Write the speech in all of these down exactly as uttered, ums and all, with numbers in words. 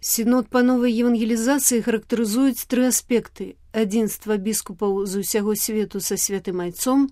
Сінод па новай евангелізацыі характарызуюць тры аспекты: адзінства біскупаў з усяго свету са святым айцом,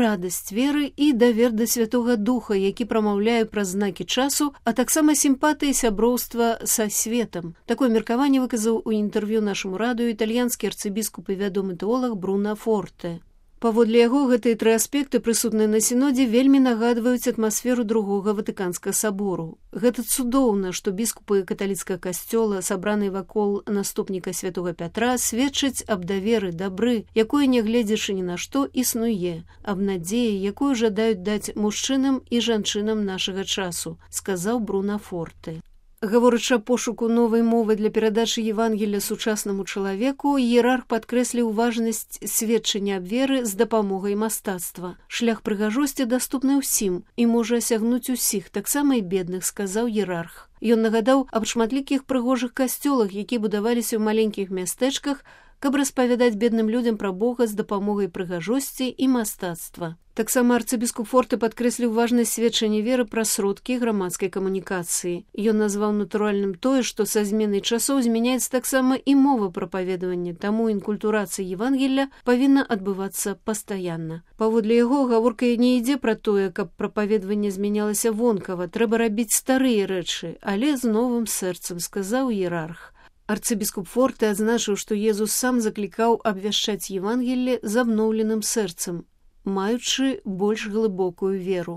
радасць веры і давер да Святога Духа, які прамаўляе праз знакі часу, а таксама сімпатыі сяброўства са светам. Такое меркаванне выказаў у інтэрв'ю нашаму радыё італьянскі арцыбіскуп і вядомы тэолаг Бруно Форте. Паводле яго, гэтыя тры аспекты, прысутныя на сінодзе, вельмі нагадваюць атмасферу другога Ватыканскага сабору. Гэта цудоўна, што біскупы каталіцкага касцёла, сабраныя вакол наступніка святога Пятра, сведчаць аб даверы, дабры, якое, нягледзячы ні на што, існуе, аб надзеі, якую жадаюць даць мужчынам і жанчынам нашага часу, сказаў Бруно Форте. Гаворачы аб пошуку новай мовы для перадачы Евангелля сучаснаму чалавеку, іерарх падкрэсліў важнасць сведчання аб веры з дапамогай мастацтва. Шлях прыгажосці даступны ўсім і можа асягнуць усіх, таксама і бедных, сказаў іерарх. Ён нагадаў аб шматлікіх прыгожых касцёлах, якія будаваліся ў маленькіх мястэчках, каб распавядаць бедным людзям пра Бога з дапамогай прыгажосці і мастацтва. Таксама арцыбіскуп Форте падкрэсліў важнасць сведчання веры пра сродкі грамадскай камунікацыі. Ён назваў натуральным тое, што са зменай часоў змяняецца таксама і мова прапаведавання, таму інкультурацыя Евангелля павінна адбывацца пастаянна. Паводле яго, гаворка не ідзе пра тое, каб прапаведаванне змянялася вонкава, трэба рабіць старыя рэчы, але з новым сэрцам, сказаў іерарх. Арцыбіскуп Форте адзначыў, што Езус сам заклікаў абвяшчаць Евангелле з абноўленым сэрцам, маючы больш глыбокую веру.